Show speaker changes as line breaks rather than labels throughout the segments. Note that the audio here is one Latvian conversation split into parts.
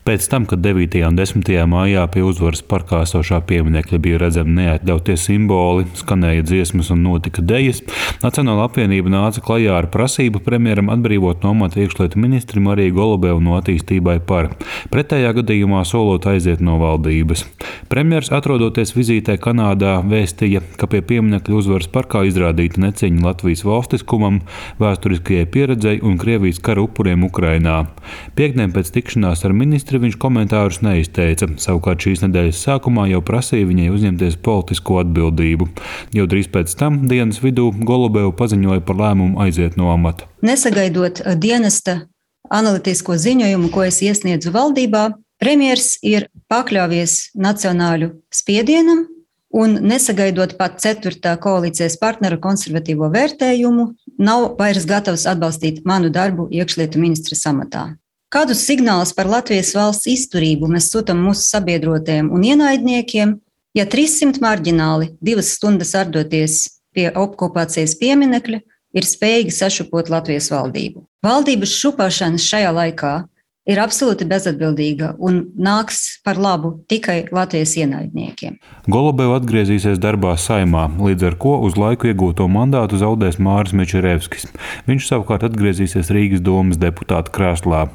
Pēc tam, kad 9. un 10. maijā pie Uzvaras parkā esošā pieminekļa bija redzami neatļautie simboli, skanēja dziesmas un notika dejas, Nacionālā apvienība nāca klajā ar prasību premjeram atbrīvot no amata iekšlietu ministri Mariju Golubevu no Attīstībai par, pretējā gadījumā solot aiziet no valdības. Premjers, atrodoties vizītē Kanādā, vēstīja, ka pie pieminekļa Uzvaras parkā izrādīta necieņa Latvijas valstiskumam, vēsturiskajai pieredzei un Krievijas kara upuriem Ukrainā. Piektdien pēc tikšanās ar ministri viņš komentārus neizteica, savukārt šīs nedēļas sākumā jau prasīja viņai uzņemties politisko atbildību. Jau drīz pēc tam, dienas vidū, Golubeva paziņoja par lēmumu aiziet no amata.
Nesagaidot dienesta analītisko ziņojumu, ko es iesniedzu valdībā, premjers ir pakļāvies nacionāļu spiedienam un nesagaidot pat 4. koalīcijas partneru konservatīvo vērtējumu, nav vairs gatavs atbalstīt manu darbu iekšlietu ministres amatā. Kādus signālus par Latvijas valsts izturību mēs sūtam mūsu sabiedrotiem un ienaidniekiem, ja 300 marģināli 2 stundas ardoties pie okupācijas pieminekļa ir spējīgi sašupot Latvijas valdību? Valdības šupāšanas šajā laikā ir absolūti bezatbildīga un nāks par labu tikai Latvijas ienaidniekiem.
Golubeva atgriezīsies darbā Saeimā, līdz ar ko uz laiku iegūto mandātu zaudēs Māris Mečerevskis. Viņš savukārt atgriezīsies Rīgas domas deputāta krēslā.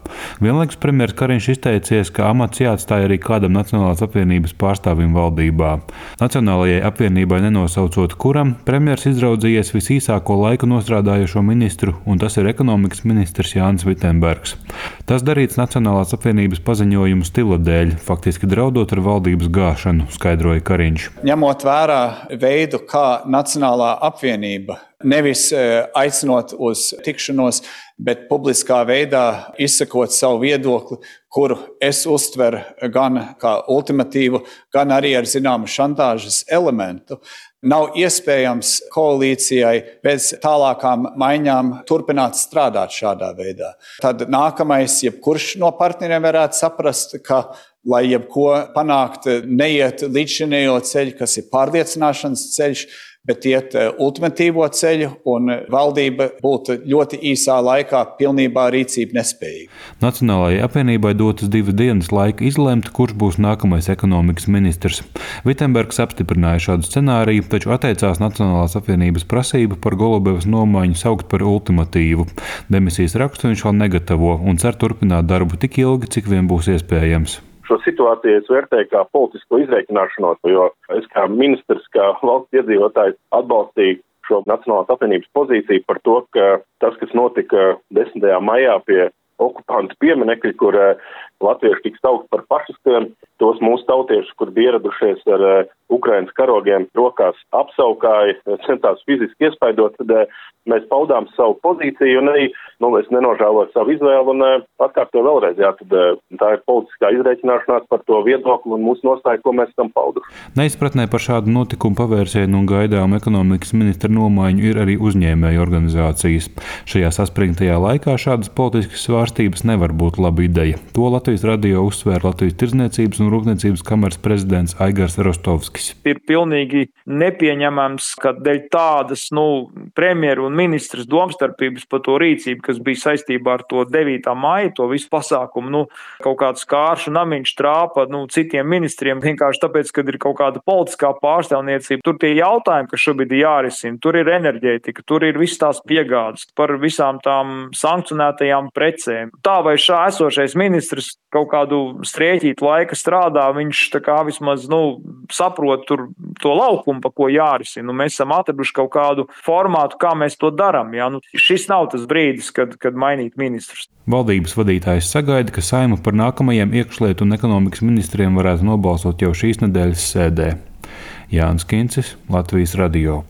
Vienlaikus premjers Kariņš izteicies, ka amats jāatstāj arī kādam Nacionālās apvienības pārstāvim valdībā. Nacionālajai apvienībai nenosaucot kuram, premjers izraudzījies visīsāko laiku nostrādājošo ministru, un tas ir ekonomikas ministrs Jānis Vitenbergs. Tas darīts Nacionālās apvienības paziņojumu stila dēļ, faktiski draudot ar valdības gāšanu, skaidroja Kariņš.
Ņemot vērā veidu, kā Nacionālā apvienība, nevis aicinot uz tikšanos, bet publiskā veidā izsakot savu viedokli, kuru es uztveru gan kā ultimatīvu, gan arī ar zināmu šantāžas elementu, nav iespējams koalīcijai bez tālākām maiņām turpināt strādāt šādā veidā. Tad nākamais, jebkurš no partneriem varētu saprast, ka, lai jebko panākt, neiet līdzšinējo ceļu, kas ir pārliecināšanas ceļš, bet iet ultimatīvo ceļu, un valdība būtu ļoti īsā laikā pilnībā rīcība nespējīga.
Nacionālajai apvienībai dotas 2 dienas laika izlemt, kurš būs nākamais ekonomikas ministrs. Vitenbergs apstiprināja šādu scenāriju, taču atteicās Nacionālās apvienības prasību par Golubevas nomaiņu saukt par ultimatīvu. Demisijas rakstu viņš vēl negatavo un cer turpināt darbu tik ilgi, cik vien būs iespējams.
Šo situāciju es vērtēju kā politisko izreikināšanos, jo es kā ministrs, kā valsts iedzīvotājs atbalstīju šo Nacionālās apvienības pozīciju par to, ka tas, kas notika 10. maijā pie okupantu pieminekļa, kur latvieši tika saukt par fašistiem, tos mūsu tautiešus, kur bija ieradušies ar Ukrainas karogiem rokās, apsaukāja, centās fiziski iespaidot, tad mēs paudām savu pozīciju un arī es nenožēloju savu izvēlu un atkārtoju vēlreiz. Tad tā ir politiskā izreikināšanās par to viedokli un mūsu nostāju, ko mēs esam pauduši.
Neizpratnē par šādu notikumu pavērsienu un gaidām ekonomikas ministra nomaiņu ir arī uzņēmēju organizācijas. Šajā saspringtajā laikā šādas politiskas svārstības nevar būt laba ideja. To Latvijas radio uzsvēra Latvijas Tirdzniecības un Rūpniecības kameras prezidents Aigars Rostovskis.
Ir pilnīgi nepieņemams, ka dēļ tādas premjeru un ministras domstarpības par to rīcību, kas bija saistībā ar to 9. maiju, to visu pasākumu, kaut kāds kāršu namiņš trāpa citiem ministriem, vienkārši tāpēc, kad ir kaut kāda politiskā pārstāvniecība. Tur tie jautājumi, kas šobrīd ir jārisina, tur ir enerģētika, tur ir visas tās piegādes par visām tām sankcionētajām precēm. Tā vai šā esošais ministrs kaut kādu strēķītu laika strādā, viņš tā kā vismaz saprot tur to laukumu, pa ko jārisina. Mēs esam atraduši kaut kādu formātu, kā mēs to darām. Šis nav tas brīdis, kad mainīt ministrus.
Valdības vadītājs sagaida, ka Saeima par nākamajiem iekšlietu un ekonomikas ministriem varētu nobalsot jau šīs nedēļas sēdē. Jānis Kincis, Latvijas radio.